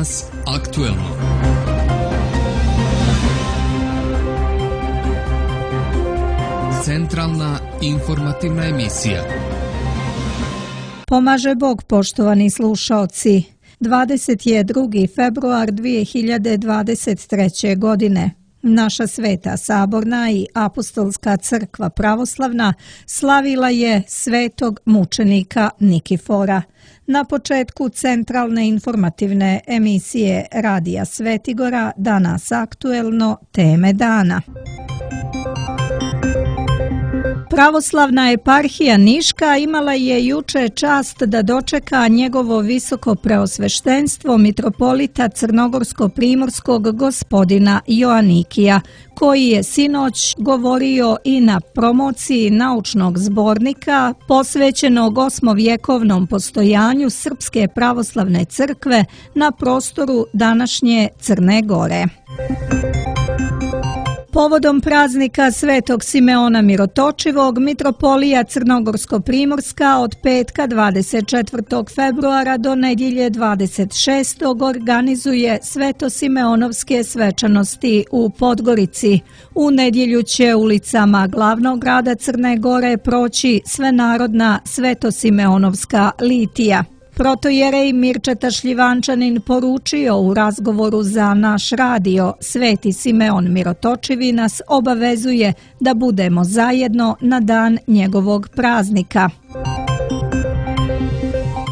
Danas aktuelno. Centralna informativna emisija. Pomaže Bog, poštovani slušaoci. 22. februar 2023. godine. Naša Sveta Saborna i Apostolska crkva pravoslavna slavila je svetog mučenika Nikifora. Na početku centralne informativne emisije Radija Svetigora Danas aktuelno, teme dana. Pravoslavna eparhija Niška imala je juče čast da dočeka njegovo visoko preosveštenstvo mitropolita crnogorsko-primorskog gospodina Joanikija, koji je sinoć govorio i na promociji naučnog zbornika posvećenog osmovjekovnom postojanju Srpske pravoslavne crkve na prostoru današnje Crne Gore. Povodom praznika Svetog Simeona Mirotočivog, mitropolija Crnogorsko-primorska od petka 24. februara do nedjelje 26. organizuje Sveto-Simeonovske svečanosti u Podgorici. U nedjelju će ulicama glavnog grada Crne Gore proći svenarodna Sveto-Simeonovska litija. Protojerej Mirčeta Šljivančanin poručio u razgovoru za naš radio: Sveti Simeon Mirotočivi nas obavezuje da budemo zajedno na dan njegovog praznika.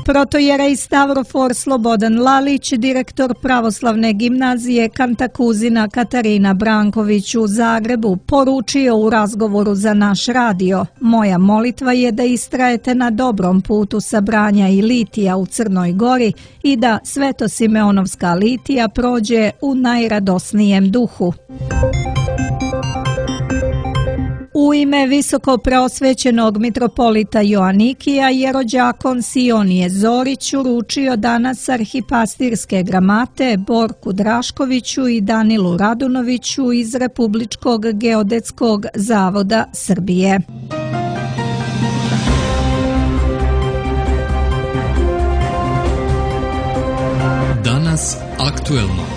Protojerej Stavrofor Slobodan Lalić, direktor pravoslavne gimnazije Kantakuzina Katarina Branković u Zagrebu, poručio u razgovoru za naš radio: moja molitva je da istrajete na dobrom putu sabranja i litija u Crnoj Gori i da Sveto-Simeonovska litija prođe u najradosnijem duhu. U ime visoko preosvećenog mitropolita Joanikija, jerođakon Sionije Zorić uručio danas arhipastirske gramate Borku Draškoviću i Danilu Radunoviću iz Republičkog geodetskog zavoda Srbije. Danas aktuelno.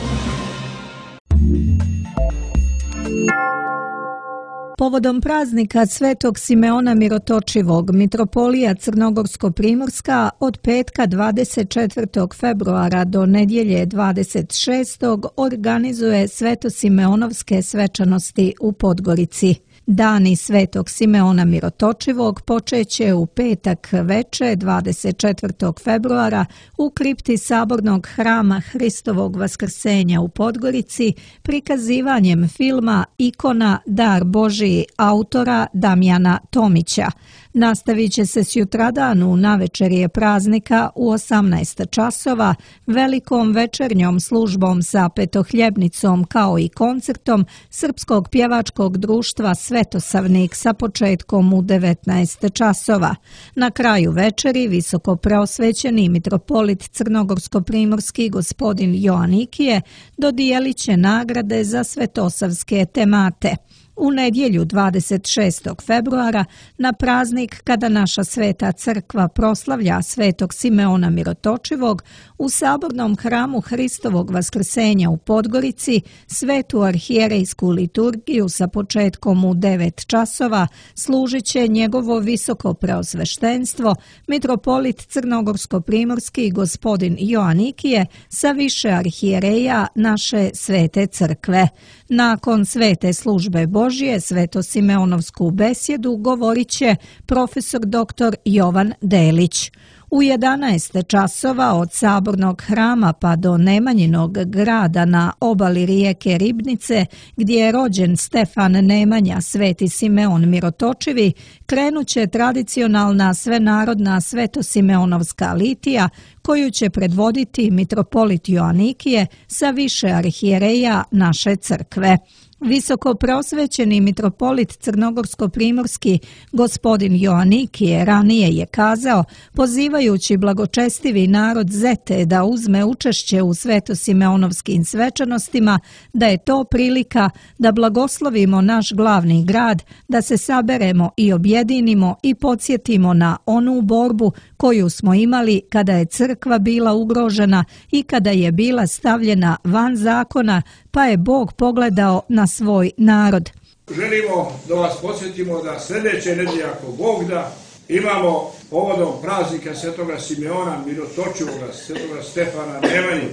Povodom praznika Svetog Simeona Mirotočivog, mitropolija Crnogorsko-primorska od petka 24. februara do nedjelje 26. organizuje Sveto-Simeonovske svečanosti u Podgorici. Dani Svetog Simeona Mirotočivog počeće u petak veče 24. februara u kripti Sabornog hrama Hristovog Vaskrsenja u Podgorici prikazivanjem filma Ikona Dar Božiji autora Damjana Tomića. Nastavit će se sutradan u navečerje praznika u 18 časova velikom večernjom službom sa petohljebnicom kao i koncertom Srpskog pjevačkog društva Svetosavnik sa početkom u 19 časova. Na kraju večeri visoko preosvećeni mitropolit Crnogorsko-primorski gospodin Joanikije dodijelit će nagrade za svetosavske temate. U nedjelju 26. februara, na praznik kada naša Sveta crkva proslavlja Svetog Simeona Mirotočivog, u Sabornom hramu Hristovog Vaskrsenja u Podgorici svetu arhijerejsku liturgiju sa početkom u 9 časova služit će njegovo visoko preosveštenstvo, mitropolit Crnogorsko-primorski gospodin Joanikije sa više arhijereja naše Svete crkve. Nakon svete službe Božje, Sveto-Simeonovsku besjedu govorit će profesor dr. Jovan Delić. U 11 časova od Sabornog hrama pa do Nemanjinog grada na obali rijeke Ribnice, gdje je rođen Stefan Nemanja, Sveti Simeon Mirotočivi, krenuće tradicionalna svenarodna Sveto-Simeonovska litija, koju će predvoditi mitropolit Joanikije sa više arhijereja naše crkve. Visoko prosvećeni mitropolit crnogorsko-primorski gospodin Joanikije ranije je kazao, pozivajući blagočestivi narod Zete da uzme učešće u svetosimeonovskim svečanostima, da je to prilika da blagoslovimo naš glavni grad, da se saberemo i objedinimo i podsjetimo na onu borbu koju smo imali kada je crkva bila ugrožena i kada je bila stavljena van zakona, pa je Bog pogledao na svoj narod. Želimo da vas podsjetimo da sljedeće nedelje, ako Bog da, imamo povodom praznika Svetoga Simeona Mirotočivoga, Svetoga Stefana Nemanju,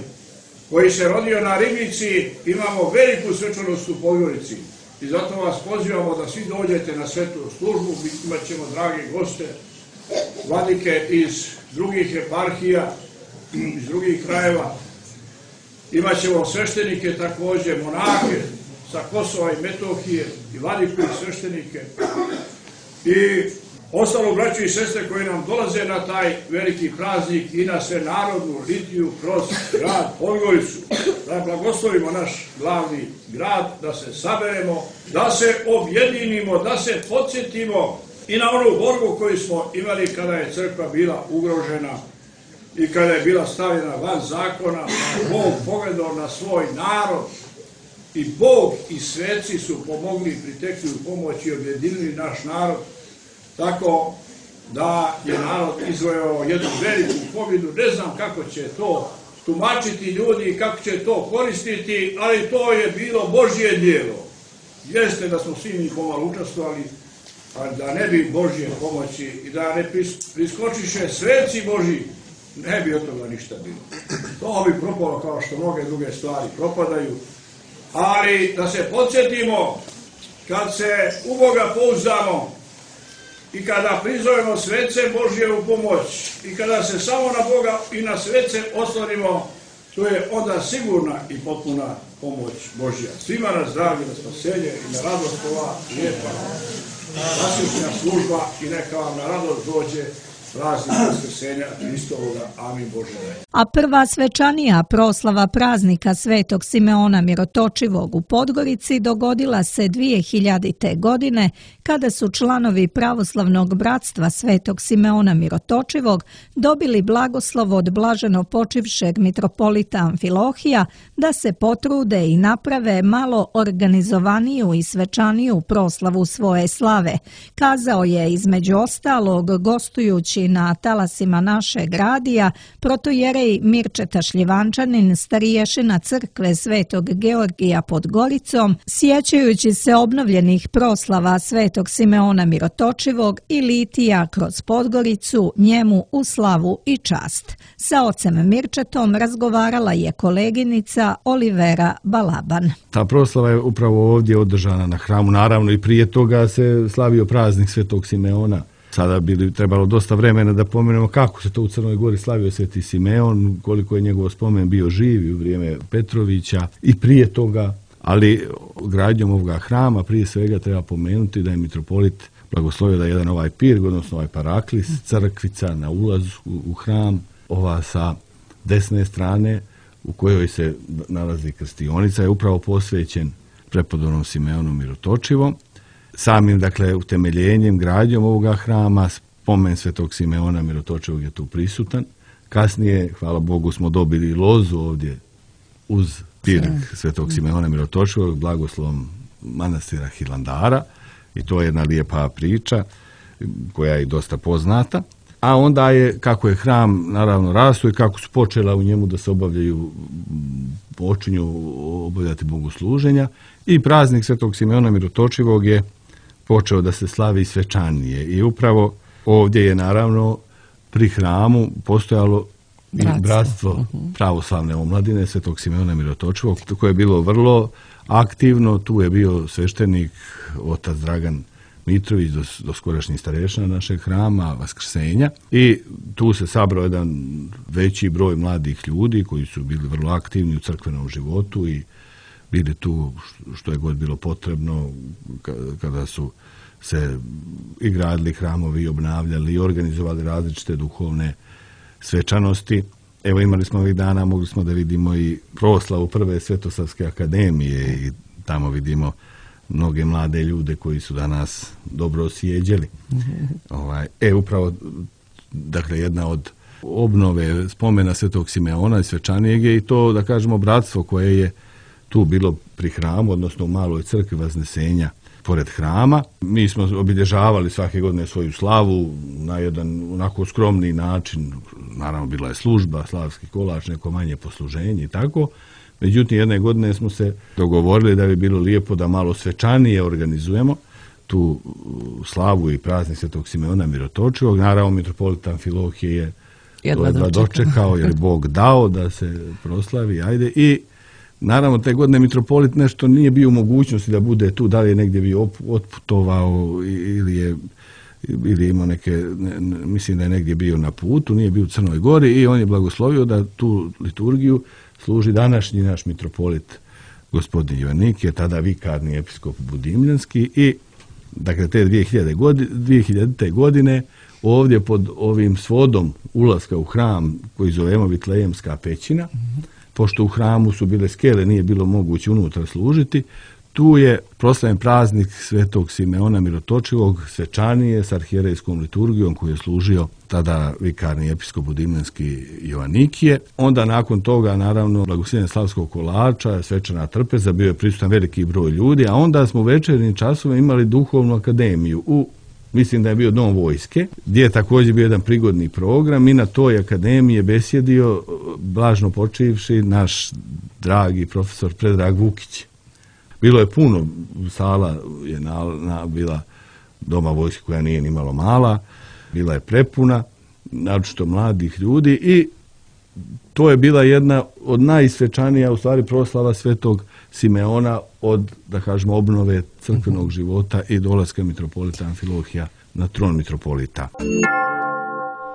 koji se rodio na Ribnici, imamo veliku svečanost u Podgorici. I zato vas pozivamo da svi dođete na svetu službu, imat ćemo drage goste, vladike iz drugih eparhija, iz drugih krajeva. Imat ćemo sveštenike također, monake sa Kosova i Metohije i vladiku i sveštenike i ostalo braću i sestre koji nam dolaze na taj veliki praznik i na svenarodnu litiju kroz grad Podgoricu. Da blagoslovimo naš glavni grad, da se saberemo, da se objedinimo, da se podsjetimo i na onu borbu koju smo imali kada je crkva bila ugrožena i kada je bila stavljena van zakona. Bog pogledao na svoj narod i Bog i sveci su pomogli, pritekli u pomoć i objedinili naš narod, tako da je narod izvojao jednu veliku pobjedu. Ne znam kako će to tumačiti ljudi i kako će to koristiti, ali to je bilo Božje djelo. Jeste da smo svi mi pomalo učestvovali, ali da ne bi Božje pomoći i da ne priskočiše sveci Božji, ne bi od toga ništa bilo. To bi propalo kao što mnoge druge stvari propadaju. Ali da se podsjetimo, kad se u Boga pouzdamo i kada prizovemo svece Božje u pomoć i kada se samo na Boga i na svece oslonimo, to je onda sigurna i potpuna pomoć Božja. Svima na zdravlje, na spasenje i na radost ova lijepa vasjušnja služba i neka vam na radost dođe praznik Vaskrsenja Hristovoga. Amin Bože. A prva svečanija proslava praznika Svetog Simeona Mirotočivog u Podgorici dogodila se 2000. godine kada su članovi pravoslavnog bratstva Svetog Simeona Mirotočivog dobili blagoslov od blaženo počivšeg mitropolita Amfilohija da se potrude i naprave malo organizovaniju i svečaniju proslavu svoje slave. Kazao je između ostalog gostujući na talasima našeg radija protojerej Mirčeta Šljivančanin, stariješina crkve Svetog Georgija pod Goricom, sjećajući se obnovljenih proslava Svetog Simeona Mirotočivog i litija kroz Podgoricu, njemu u slavu i čast. Sa ocem Mirčetom razgovarala je koleginica Olivera Balaban. Ta proslava je upravo ovdje održana na hramu, naravno i prije toga se slavio praznik Svetog Simeona. Sada bi trebalo dosta vremena da pomenemo kako se to u Crnoj Gori slavio Sveti Simeon, koliko je njegov spomen bio živ u vrijeme Petrovića i prije toga, ali gradnjom ovoga hrama prije svega treba pomenuti da je mitropolit blagoslovio da jedan ovaj pirg, odnosno ovaj paraklis, crkvica na ulazu u hram, ova sa desne strane u kojoj se nalazi krstionica, je upravo posvećen prepodobnom Simeonu Mirotočivom. Samim, dakle, utemeljenjem, gradnjom ovoga hrama, spomen Svetog Simeona Mirotočivog je tu prisutan. Kasnije, hvala Bogu, smo dobili lozu ovdje uz pirg Svetog Simeona Mirotočivog, blagoslovom manastira Hilandara, i to je jedna lijepa priča koja je dosta poznata. A onda je, kako je hram naravno rastao i kako su počela u njemu da se počinju obavljati bogosluženja, i praznik Svetog Simeona Mirotočivog je počeo da se slavi svečanije. I upravo ovdje je naravno pri hramu postojalo i bratstvo pravoslavne omladine Svetog Simeona Mirotočivog, koje je bilo vrlo aktivno. Tu je bio sveštenik otac Dragan Mitrović, doskorašnji starešina našeg hrama Vaskrsenja, i tu se sabrao jedan veći broj mladih ljudi koji su bili vrlo aktivni u crkvenom životu i bili tu što je god bilo potrebno kada su se i gradili hramovi, i obnavljali i organizovali različite duhovne svečanosti. Evo, imali smo ovih dana, mogli smo da vidimo i proslavu prve Svetosavske akademije, i tamo vidimo mnoge mlade ljude koji su danas dobro osjeđeli. Upravo, dakle, jedna od obnove spomena Svetog Simeona i Svečanijeg je i to, da kažemo, bratstvo koje je tu bilo pri hramu, odnosno u maloj crkvi Vaznesenja pored hrama. Mi smo obilježavali svake godine svoju slavu na jedan onako skromni način. Naravno, bila je služba, slavski kolač, neko manje posluženje i tako. Međutim, jedne godine smo se dogovorili da bi bilo lijepo da malo svečanije organizujemo tu slavu i praznik Svetog Simeona Mirotočivog. Naravno, mitropolit Amfilohije je jedva dočekao, jer Bog dao da se proslavi. I naravno, te godine mitropolit nešto nije bio u mogućnosti da bude tu, da li je negdje bio otputovao ili imao neke, mislim da je negdje bio na putu, nije bio u Crnoj Gori, i on je blagoslovio da tu liturgiju služi današnji naš mitropolit gospodin Joanikije, tada vikarni episkop Budimljanski. I dakle, te 2000. godine ovdje pod ovim svodom ulaska u hram koji zovemo Vitlejemska pećina, pošto u hramu su bile skele, nije bilo moguće unutra služiti, tu je proslavljen praznik Svetog Simeona Mirotočivog, svečanije s arhijerejskom liturgijom koju je služio tada vikarni episkop Budimljanski Joanikije. Onda nakon toga, naravno, blagoslovljenje slavskog kolača, svečana trpeza, bio je prisutan veliki broj ljudi, a onda smo u večernjim časovima imali duhovnu akademiju mislim da je bio Dom vojske, gdje je također bio jedan prigodni program, i na toj akademiji je besjedio, blažno počivši, naš dragi profesor Predrag Vukić. Bilo je puno, sala je bila Doma vojske koja nije ni malo mala, bila je prepuna, naročito mladih ljudi, i to je bila jedna od najsvečanija, u stvari, proslava Svetog Simeona od, da kažemo, obnove crkvenog života i dolaska mitropolita Amfilohija na tron mitropolita.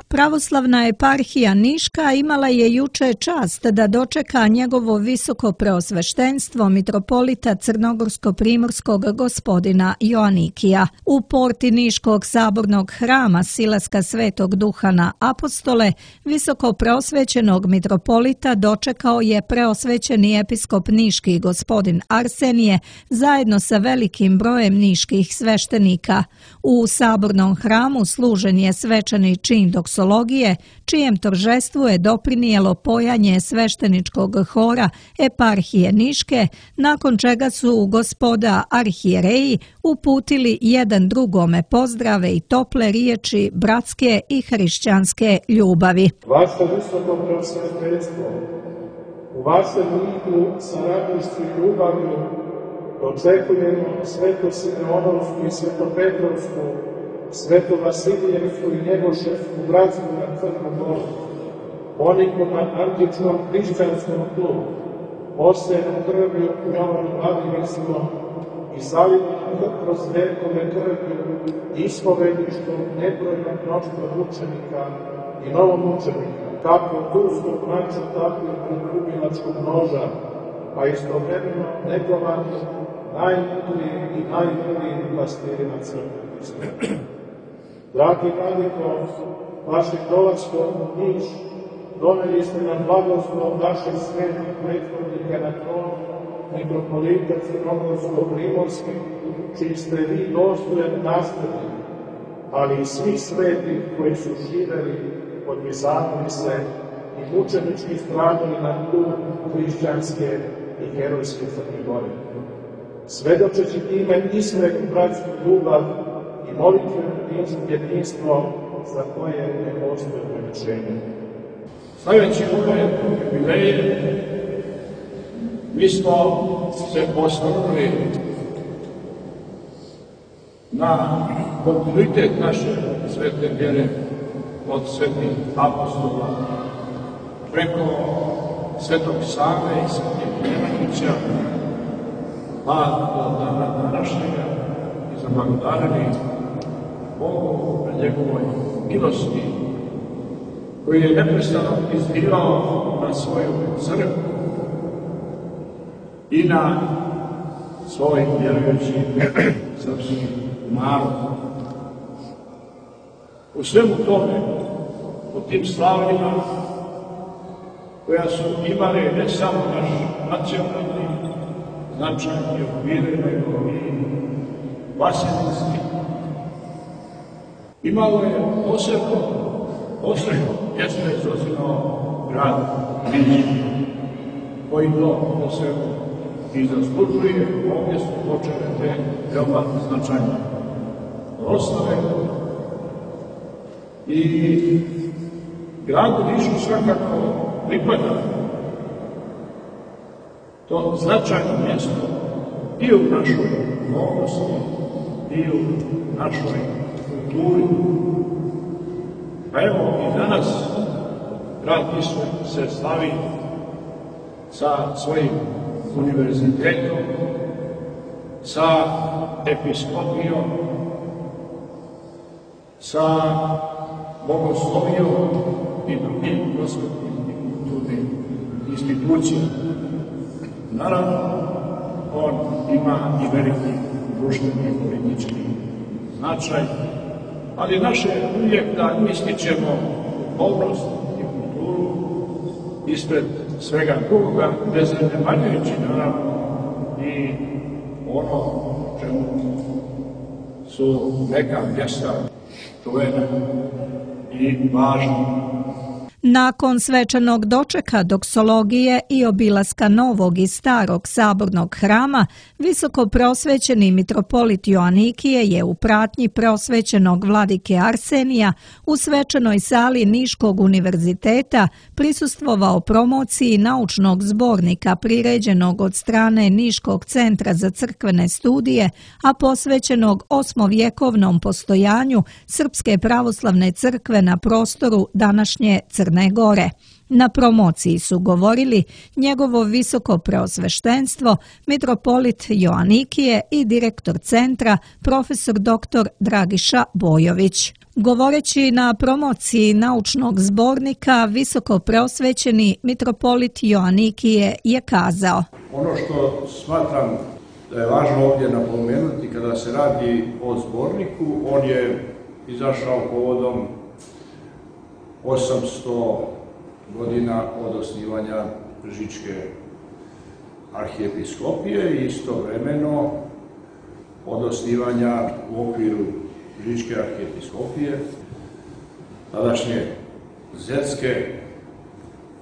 Pravoslavna eparhija Niška imala je juče čast da dočeka njegovo visoko preosveštenstvo mitropolita crnogorsko-primorskog gospodina Joanikija. U porti Niškog sabornog hrama Silaska Svetog Duha na Apostole visoko preosvećenog mitropolita dočekao je preosvećeni episkop niški gospodin Arsenije zajedno sa velikim brojem niških sveštenika. U sabornom hramu služen je svečani čin doksologije, čijem торжеству je doprinijelo pojanje svešteničkog hora eparhije Niške, nakon čega su gospoda arhijereji uputili jedan drugome pozdrave i tople riječi bratske i hrišćanske ljubavi. Vaše visoko preosvetenstvo, u vašem liku sa radošću i ljubavlju dočekujemo Sveto Simeonovsku i Svetopetrovsku, Sveto Vasilijevsku i Njegoševsku bratstvu na Crnom Goru, oniku na antičnom hrišćanskom tlu, osenom krvlju Jovanu Vladimirskom i zalivanom kroz vekove krvlju ispovedištom nebrojnog mnoštva mučenika i novomučenika, kako turskog mača, tako i predubilačkog noža, a istovremeno negovanje najmudrijih i najboljih pastirima crkve. Dragi vladiko, vašim dolaskom u Niš doneli ste nam blagoslov vaših svetih prethodnika na tron mitropolita Crnogorsko-primorski, čiji ste vi dostojan nastavnik, ali i svi sveti koji su živeli od Bizantice i mučenički stradali na tlu hrišćanske i herojske Crne Gore. Svedočeći time iskrenu bratsku ljubav i molitveno jedinstvo za koje ne postoje ograničenja. Slaveći ove jubileje, mi smo se posvrnuli na kontinuitet naše svete vjere od svetih apostola preko Svetog Save i Svetih Nemanjića, pa do dana današnjega i zablagodareni Bogu na njegovoj milosti, koji je neprestano izbirao na svoju crkvu i na svoj vjerujući srpski narod. U svemu tome, u tim slavljima, koja su imali ne samo naš nacionalni značaj i okvire nego i Vasilevski. Imalo je posebno mjesto izozivao grad Niš, koji to posebno i zaslužuje. Ovdje su počele te veoma značajne proslave i gradu Nišu svakako pripada to značajno mjesto i u našoj duhovnosti i u našoj kulturi. Pa evo i danas grad Niš se slavi sa svojim univerzitetom, sa episkopijom, sa bogoslovijom i drugim prosvetnim i kulturnim institucijama. Naravno, on ima i veliki društveni i politički značaj, ali naše uvijek da ističemo duhovnost i kulturu ispred svega drugoga, bez zanemarujući naravno i ono čemu su neka mjesta čuvena i važna. Nakon svečanog dočeka doksologije i obilaska novog i starog sabornog hrama, visoko prosvećeni mitropolit Joanikije je u pratnji prosvećenog vladike Arsenija u svečanoj sali Niškog univerziteta prisustvovao promociji naučnog zbornika priređenog od strane Niškog centra za crkvene studije, a posvećenog osmovjekovnom postojanju Srpske pravoslavne crkve na prostoru današnje Crne Gore. Na promociji su govorili njegovo visoko preosveštenstvo, mitropolit Joanikije i direktor centra, profesor dr. Dragiša Bojović. Govoreći na promociji naučnog zbornika, visoko preosvećeni mitropolit Joanikije je kazao: Ono što smatram da je važno ovdje napomenuti kada se radi o zborniku, on je izašao povodom 800 godina od osnivanja Žičke arhijepiskopije i istovremeno od osnivanja u okviru Žičke arhijepiskopije tadašnje Zetske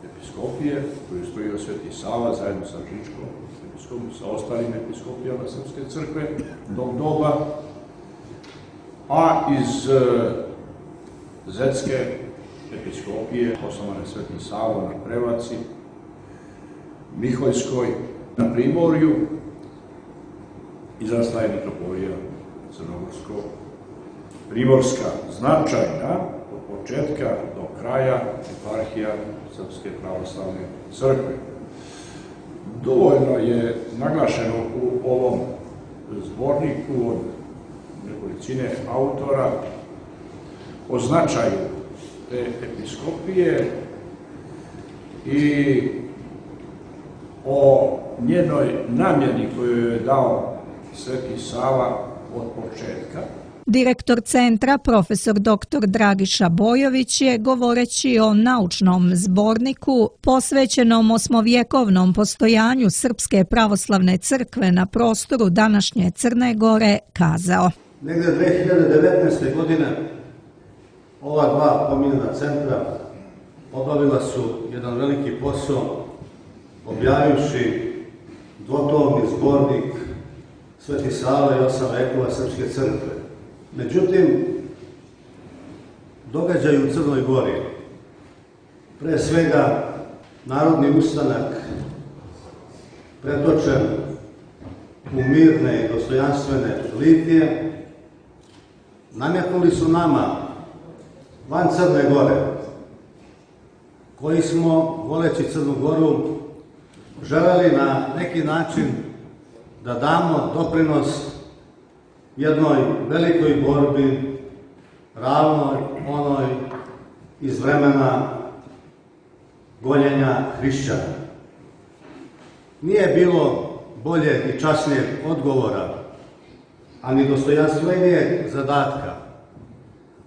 episkopije, koju stojio Sveti Sava zajedno sa Žičkom episkopijom, sa ostalim episkopijama Srpske crkve tog doba, a iz Zetske episkopije osnovane Sveti Savo na Prevaci, Miholjskoj, na Primorju, izrasla je mitropolija Crnogorsko-Primorska, značajna od početka do kraja eparhija Srpske pravoslavne crkve. Dovoljno je naglašeno u ovom zborniku od nekolicine autora o značaju te episkopije i o njenoj namjeni koju je dao Sveti Sava od početka. Direktor centra, profesor dr. Dragiša Bojović je, govoreći o naučnom zborniku posvećenom osmovjekovnom postojanju Srpske pravoslavne crkve na prostoru današnje Crne Gore, kazao: Negde 2019. godine ova dva pominjena centra obavila su jedan veliki posao objavivši dvotomni zbornik Sveti Sava i 8 vekova Srpske crkve. Međutim, događaj u Crnoj Gori, pre svega narodni ustanak pretočen u mirne i dostojanstvene litije, nametnuli su nama van Crne Gore, koji smo, voleći Crnu Goru, želeli na neki način da damo doprinos jednoj velikoj borbi, ravnoj onoj iz vremena gonjenja hrišćana. Nije bilo bolje i časnijeg odgovora, a ni dostojanstvenijeg zadatka,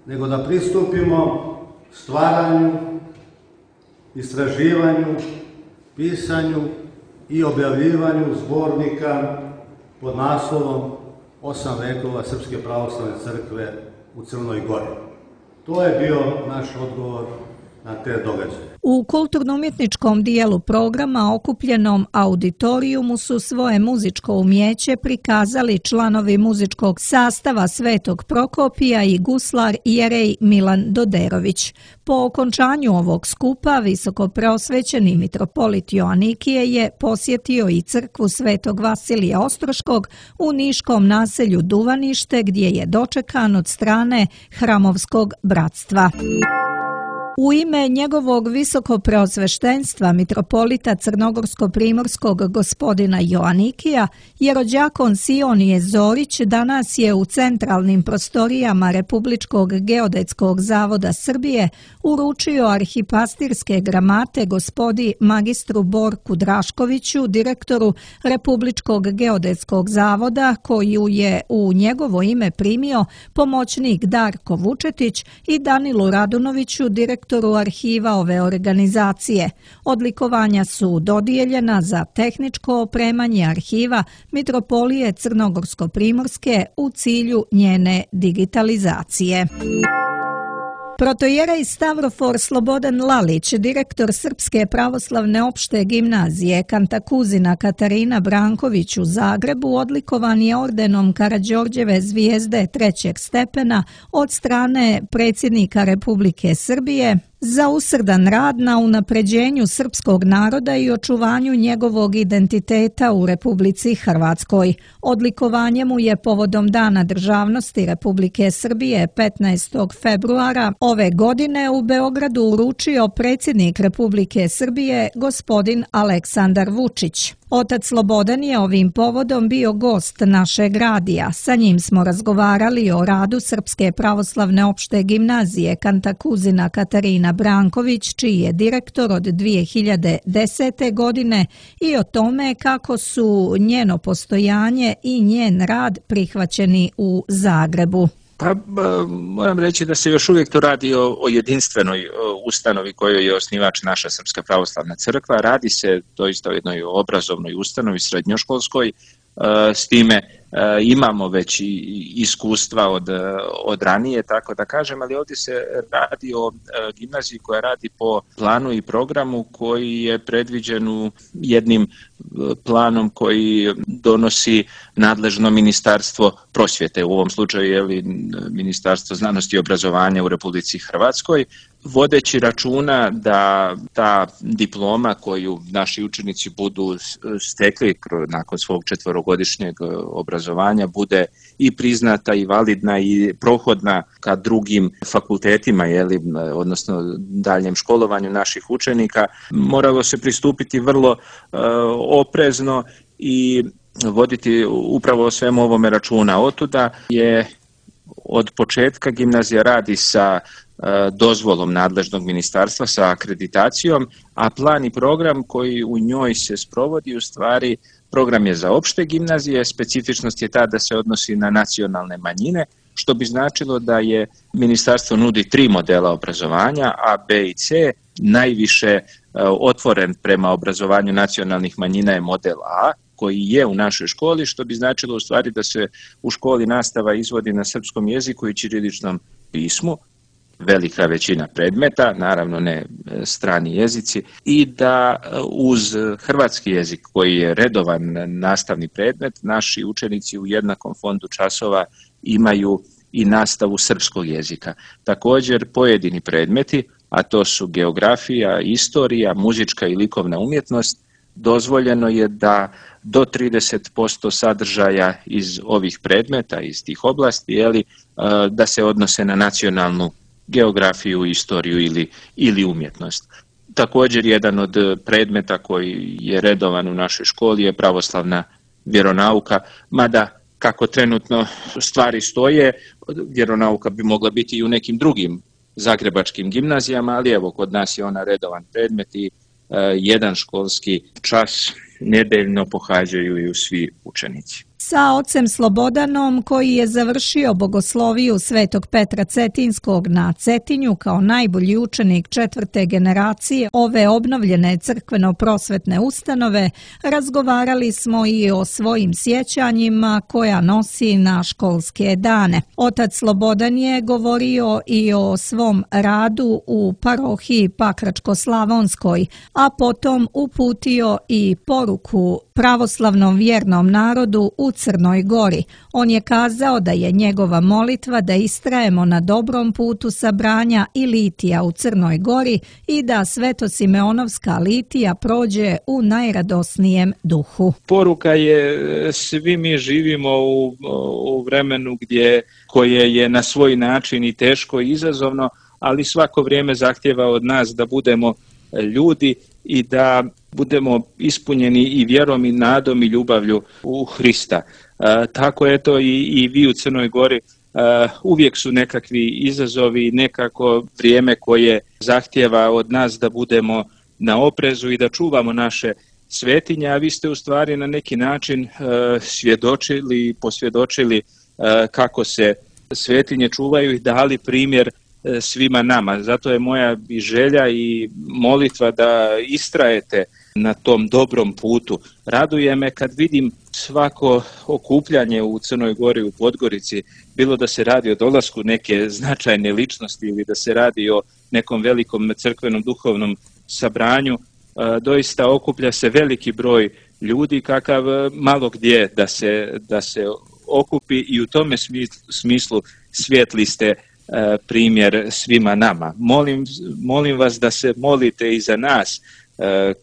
nego da pristupimo stvaranju, istraživanju, pisanju i objavljivanju zbornika pod naslovom 8 vekova Srpske pravoslavne crkve u Crnoj Gori. To je bio naš odgovor na te događaje. U kulturno-umjetničkom dijelu programa okupljenom auditorijumu su svoje muzičko umjeće prikazali članovi muzičkog sastava Svetog Prokopija i guslar Jerej Milan Doderović. Po okončanju ovog skupa visokopreosvećeni mitropolit Joanikije je posjetio i crkvu Svetog Vasilija Ostroškog u niškom naselju Duvanište, gdje je dočekan od strane Hramovskog bratstva. U ime njegovog visokopreosveštenstva mitropolita crnogorsko-primorskog gospodina Joanikija, jerođakon Sionije Zorić danas je u centralnim prostorijama Republičkog geodetskog zavoda Srbije uručio arhipastirske gramate gospodi magistru Borku Draškoviću, direktoru Republičkog geodetskog zavoda, koju je u njegovo ime primio pomoćnik Darko Vučetić, i Danilu Radunoviću, direktoru arhiva ove organizacije. Odlikovanja su dodijeljena za tehničko opremanje arhiva Mitropolije Crnogorsko-primorske u cilju njene digitalizacije. Protojerej Stavrofor Slobodan Lalić, direktor Srpske pravoslavne opšte gimnazije Kantakuzina Katarina Branković u Zagrebu, odlikovan je ordenom Karađorđeve zvijezde 3. stepena od strane predsjednika Republike Srbije za usrdan rad na unapređenju srpskog naroda i očuvanju njegovog identiteta u Republici Hrvatskoj. Odlikovanje mu je povodom Dana državnosti Republike Srbije 15. februara ove godine u Beogradu uručio predsjednik Republike Srbije gospodin Aleksandar Vučić. Otac Slobodan je ovim povodom bio gost našeg radija. Sa njim smo razgovarali o radu Srpske pravoslavne opšte gimnazije Kantakuzina Katarina Branković, čiji je direktor od 2010. godine, i o tome kako su njeno postojanje i njen rad prihvaćeni u Zagrebu. Pa moram reći da se još uvijek to radi o jedinstvenoj ustanovi kojoj je osnivač naša Srpska pravoslavna crkva. Radi se doista o jednoj obrazovnoj ustanovi, srednjoškolskoj, s time imamo već i iskustva od ranije, tako da kažem, ali ovdje se radi o gimnaziji koja radi po planu i programu koji je predviđen u jednim planom koji donosi nadležno Ministarstvo prosvjete, u ovom slučaju je Ministarstvo znanosti i obrazovanja u Republici Hrvatskoj, vodeći računa da ta diploma koju naši učenici budu stekli nakon svog 4-godišnjeg obrazovanja bude i priznata i validna i prohodna ka drugim fakultetima, odnosno daljem školovanju naših učenika. Moralo se pristupiti vrlo oprezno i voditi upravo o svemu ovome računa. Otuda je od početka gimnazija radi sa dozvolom nadležnog ministarstva, sa akreditacijom, a plan i program koji u njoj se sprovodi u stvari program je za opšte gimnazije, specifičnost je ta da se odnosi na nacionalne manjine, što bi značilo da je ministarstvo nudi 3 modela obrazovanja, A, B i C. Najviše otvoren prema obrazovanju nacionalnih manjina je model A, koji je u našoj školi, što bi značilo u stvari da se u školi nastava izvodi na srpskom jeziku i ćiriličnom pismu, velika većina predmeta, naravno ne strani jezici, i da uz hrvatski jezik koji je redovan nastavni predmet, naši učenici u jednakom fondu časova imaju i nastavu srpskog jezika. Također pojedini predmeti, a to su geografija, istorija, muzička i likovna umjetnost, dozvoljeno je da do 30% sadržaja iz ovih predmeta, iz tih oblasti, da se odnose na nacionalnu geografiju, istoriju ili umjetnost. Također jedan od predmeta koji je redovan u našoj školi je pravoslavna vjeronauka, mada kako trenutno stvari stoje, vjeronauka bi mogla biti i u nekim drugim zagrebačkim gimnazijama, ali evo kod nas je ona redovan predmet i jedan školski čas nedeljno pohađaju i svi učenici. Sa ocem Slobodanom, koji je završio bogosloviju Svetog Petra Cetinskog na Cetinju kao najbolji učenik 4. generacije ove obnovljene crkveno-prosvetne ustanove, razgovarali smo i o svojim sjećanjima koja nosi na školske dane. Otac Slobodan je govorio i o svom radu u parohiji Pakračko-Slavonskoj, a potom uputio i poruku pravoslavnom vjernom narodu u Crnoj Gori. On je kazao da je njegova molitva da istrajemo na dobrom putu sabranja i litija u Crnoj Gori i da Svetosimeonovska litija prođe u najradosnijem duhu. Poruka je, svi mi živimo u vremenu koje je na svoj način i teško i izazovno, ali svako vrijeme zahtjeva od nas da budemo ljudi i da budemo ispunjeni i vjerom i nadom i ljubavlju u Hrista. Tako eto i vi u Crnoj Gori uvijek su nekakvi izazovi, nekako vrijeme koje zahtjeva od nas da budemo na oprezu i da čuvamo naše svetinje, a vi ste u stvari na neki način posvjedočili kako se svetinje čuvaju i dali primjer svima nama. Zato je moja i želja i molitva da istrajete na tom dobrom putu. Raduje me kad vidim svako okupljanje u Crnoj Gori, u Podgorici, bilo da se radi o dolasku neke značajne ličnosti ili da se radi o nekom velikom crkvenom duhovnom sabranju, doista okuplja se veliki broj ljudi kakav malo gdje da se okupi i u tome smislu svijetli ste primjer svima nama. Molim vas da se molite i za nas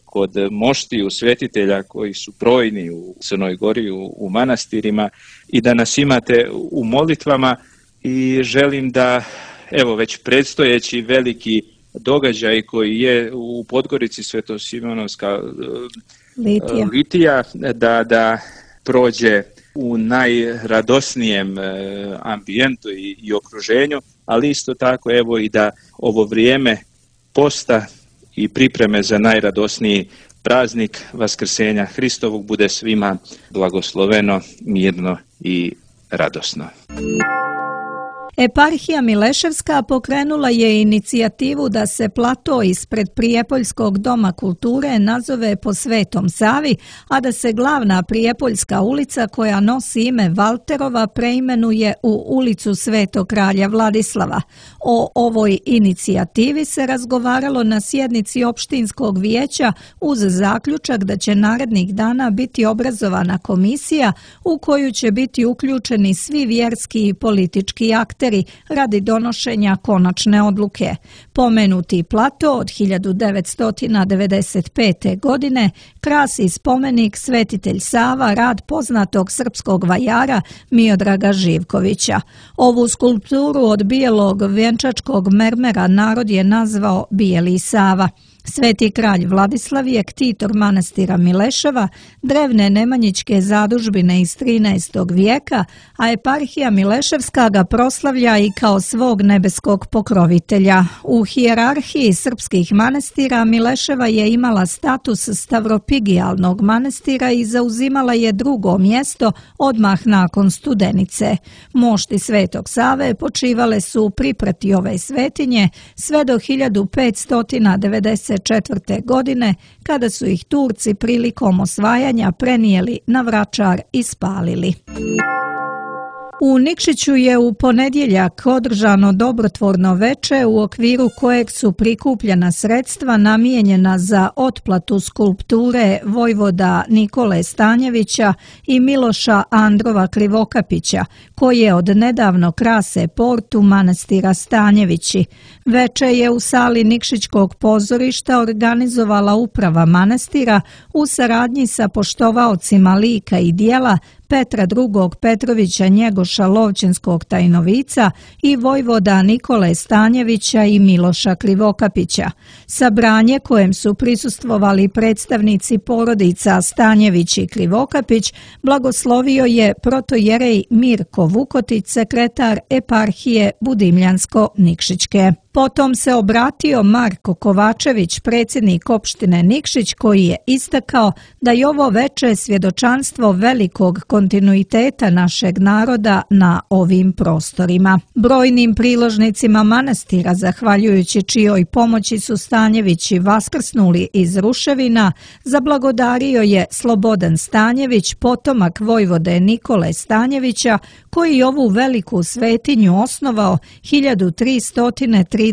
kod moštiju svetitelja koji su brojni u Crnoj Gori, u manastirima, i da nas imate u molitvama, i želim da evo već predstojeći veliki događaj koji je u Podgorici, Svetosimeonovska litija, da prođe u najradosnijem ambijentu i okruženju, ali isto tako evo i da ovo vrijeme posta i pripreme za najradosniji praznik Vaskrsenja Hristovog bude svima blagosloveno, mirno i radosno. Eparhija Mileševska pokrenula je inicijativu da se plato ispred Prijepoljskog doma kulture nazove po Svetom Savi, a da se glavna Prijepoljska ulica koja nosi ime Valterova preimenuje u ulicu Svetog kralja Vladislava. O ovoj inicijativi se razgovaralo na sjednici opštinskog vijeća uz zaključak da će narednih dana biti obrazovana komisija u koju će biti uključeni svi vjerski i politički akteri radi donošenja konačne odluke. Pomenuti plato od 1995. godine krasi spomenik Svetitelj Sava, rad poznatog srpskog vajara Miodraga Živkovića. Ovu skulpturu od bijelog vjenčačkog mermera narod je nazvao Bijeli Sava. Sveti kralj Vladislav je ktitor manastira Mileševa, drevne nemanjičke zadužbine iz 13. vijeka, a eparhija Mileševska ga proslavlja i kao svog nebeskog pokrovitelja. U hijerarhiji srpskih manastira Mileševa je imala status stavropigijalnog manastira i zauzimala je drugo mjesto odmah nakon Studenice. Mošti Svetog Save počivale su u priprati ove svetinje sve do 1594. godine, kada su ih Turci prilikom osvajanja prenijeli na Vračar i spalili. U Nikšiću je u ponedjeljak održano dobrotvorno veče u okviru kojeg su prikupljena sredstva namijenjena za otplatu skulpture vojvoda Nikole Stanjevića i Miloša Androva Krivokapića, koje od nedavno krase portu manastira Stanjevići. Veče je u sali Nikšićkog pozorišta organizovala uprava manastira u saradnji sa poštovaocima lika i dijela Petra II. Petrovića Njegoša Lovćenskog Tajnovica i vojvoda Nikole Stanjevića i Miloša Krivokapića. Sabranje kojem su prisustvovali predstavnici porodica Stanjević i Krivokapić blagoslovio je protojerej Mirko Vukotić, sekretar eparhije Budimljansko-Nikšićke. Potom se obratio Marko Kovačević, predsjednik opštine Nikšić, koji je istakao da je ovo veče svjedočanstvo velikog kontinuiteta našeg naroda na ovim prostorima. Brojnim priložnicima manastira, zahvaljujući čijoj pomoći su Stanjevići vaskrsnuli iz ruševina, zablagodario je Slobodan Stanjević, potomak vojvode Nikole Stanjevića, koji ovu veliku svetinju osnovao 1338.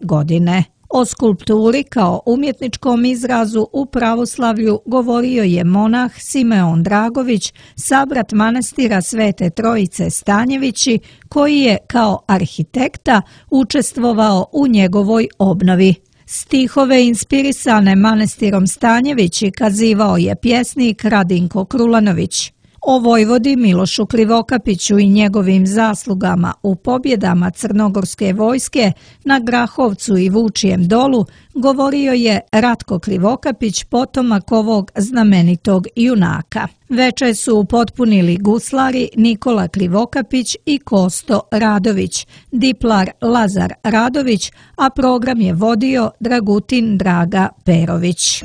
godine. O skulpturi kao umjetničkom izrazu u pravoslavlju govorio je monah Simeon Dragović, sabrat manastira Svete Trojice Stanjevići, koji je kao arhitekta učestvovao u njegovoj obnovi. Stihove inspirisane manastirom Stanjevići kazivao je pjesnik Radinko Krulanović. O vojvodi Milošu Krivokapiću i njegovim zaslugama u pobjedama crnogorske vojske na Grahovcu i Vučijem dolu govorio je Ratko Krivokapić, potomak ovog znamenitog junaka. Veče su upotpunili guslari Nikola Krivokapić i Kosto Radović, diplar Lazar Radović, a program je vodio Dragutin Draga Perović.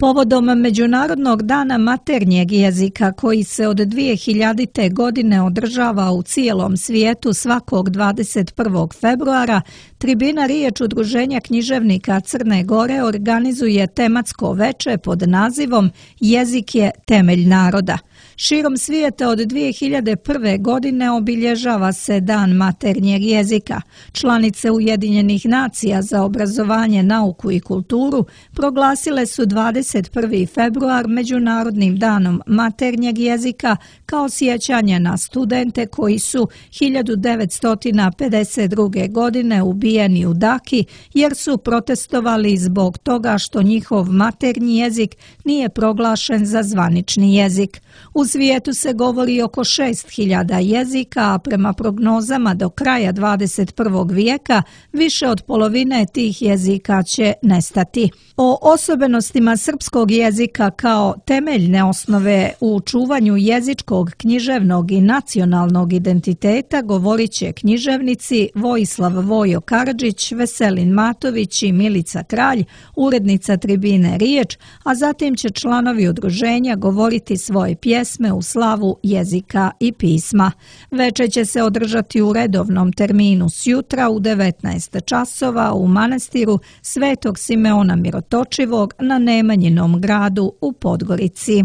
Povodom Međunarodnog dana maternjeg jezika koji se od 2000. godine održava u cijelom svijetu svakog 21. februara, Tribina Riječ Udruženja književnika Crne Gore organizuje tematsko veče pod nazivom Jezik je temelj naroda. Širom svijeta od 2001. godine obilježava se Dan maternjeg jezika. Članice Ujedinjenih nacija za obrazovanje, nauku i kulturu proglasile su 21. februar Međunarodnim danom maternjeg jezika kao sjećanje na studente koji su 1952. godine ubijeni u Daki jer su protestovali zbog toga što njihov maternji jezik nije proglašen za zvanični jezik. U svijetu se govori oko 6000 jezika, a prema prognozama do kraja 21. vijeka više od polovine tih jezika će nestati. O osobenostima srpskog jezika kao temeljne osnove u čuvanju jezičkog, književnog i nacionalnog identiteta govorit će književnici Vojislav Vojo Karadžić, Veselin Matović i Milica Kralj, urednica Tribine Riječ, a zatim će članovi udruženja govoriti svoje pjesme u slavu jezika i pisma. Veče će se održati u redovnom terminu sjutra u 19 časova u manastiru Svetog Simeona Mirotočivog na Nemanjinom gradu u Podgorici.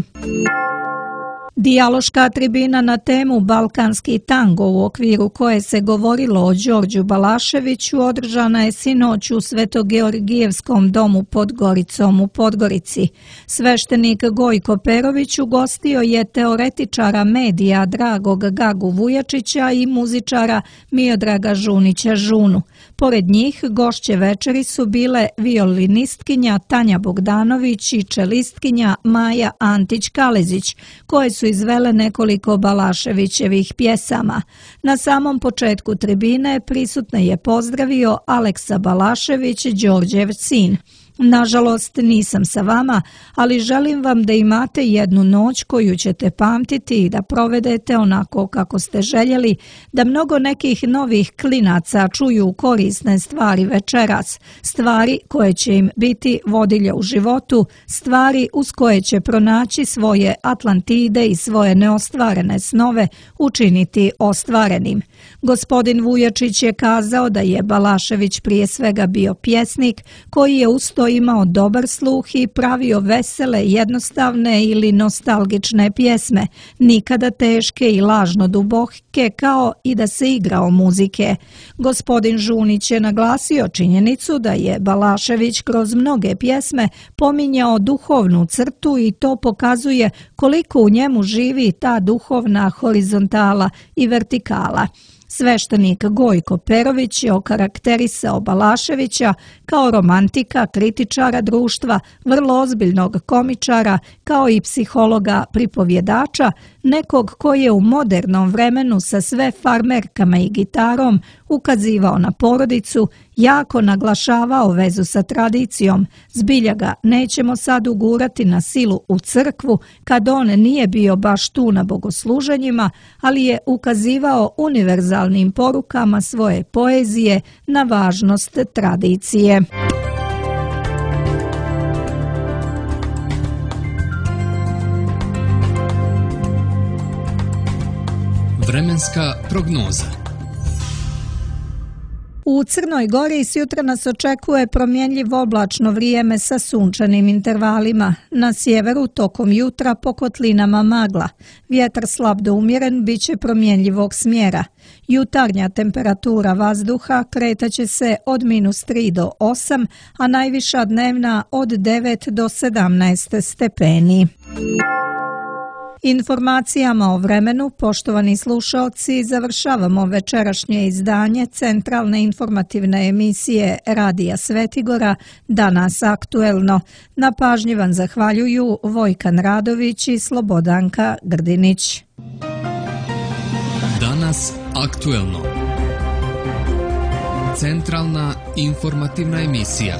Dijaloška tribina na temu Balkanski tango, u okviru koje se govorilo o Đorđu Balaševiću, održana je sinoć u Svetogeorgijevskom domu pod Goricom u Podgorici. Sveštenik Gojko Perović ugostio je teoretičara medija Dragog Gagu Vujačića i muzičara Miodraga Žunića Žunu. Pored njih gošće večeri su bile violinistkinja Tanja Bogdanović i čelistkinja Maja Antić-Kalezić, koje su izvele nekoliko Balaševićevih pjesama. Na samom početku tribine prisutne je pozdravio Aleksa Balašević, Đorđev sin. Nažalost, nisam sa vama, ali želim vam da imate jednu noć koju ćete pamtiti i da provedete onako kako ste željeli, da mnogo nekih novih klinaca čuju korisne stvari večeras, stvari koje će im biti vodilje u životu, stvari uz koje će pronaći svoje Atlantide i svoje neostvarene snove učiniti ostvarenim. Gospodin Vujačić je kazao da je Balašević prije svega bio pjesnik koji je usto imao dobar sluh i pravio vesele, jednostavne ili nostalgične pjesme, nikada teške i lažno duboke, kao i da se igrao muzike. Gospodin Žunić je naglasio činjenicu da je Balašević kroz mnoge pjesme pominjao duhovnu crtu i to pokazuje koliko u njemu živi ta duhovna horizontala i vertikala. Sveštenik Gojko Perović je okarakterisao Balaševića kao romantika, kritičara društva, vrlo ozbiljnog komičara, kao i psihologa pripovjedača, nekog koji je u modernom vremenu sa sve farmerkama i gitarom ukazivao na porodicu, jako naglašavao vezu sa tradicijom. Zbilja ga nećemo sad ugurati na silu u crkvu kad on nije bio baš tu na bogosluženjima, ali je ukazivao univerzalnim porukama svoje poezije na važnost tradicije. Vremenska prognoza. U Crnoj Gori sjutra nas očekuje promjenjivo oblačno vrijeme sa sunčanim intervalima. Na sjeveru tokom jutra po kotlinama magla. Vjetar slab do umjeren bit će promjenjivog smjera. Jutarnja temperatura vazduha kretaće se od -3 do 8, a najviša dnevna od 9 do 17 stepeni. Informacijama o vremenu, poštovani slušaoci, završavamo večerašnje izdanje centralne informativne emisije Radija Svetigora Danas aktuelno. Na pažnji vam zahvaljuju Vojkan Radović i Slobodanka Grdinić. Danas aktuelno. Centralna informativna emisija.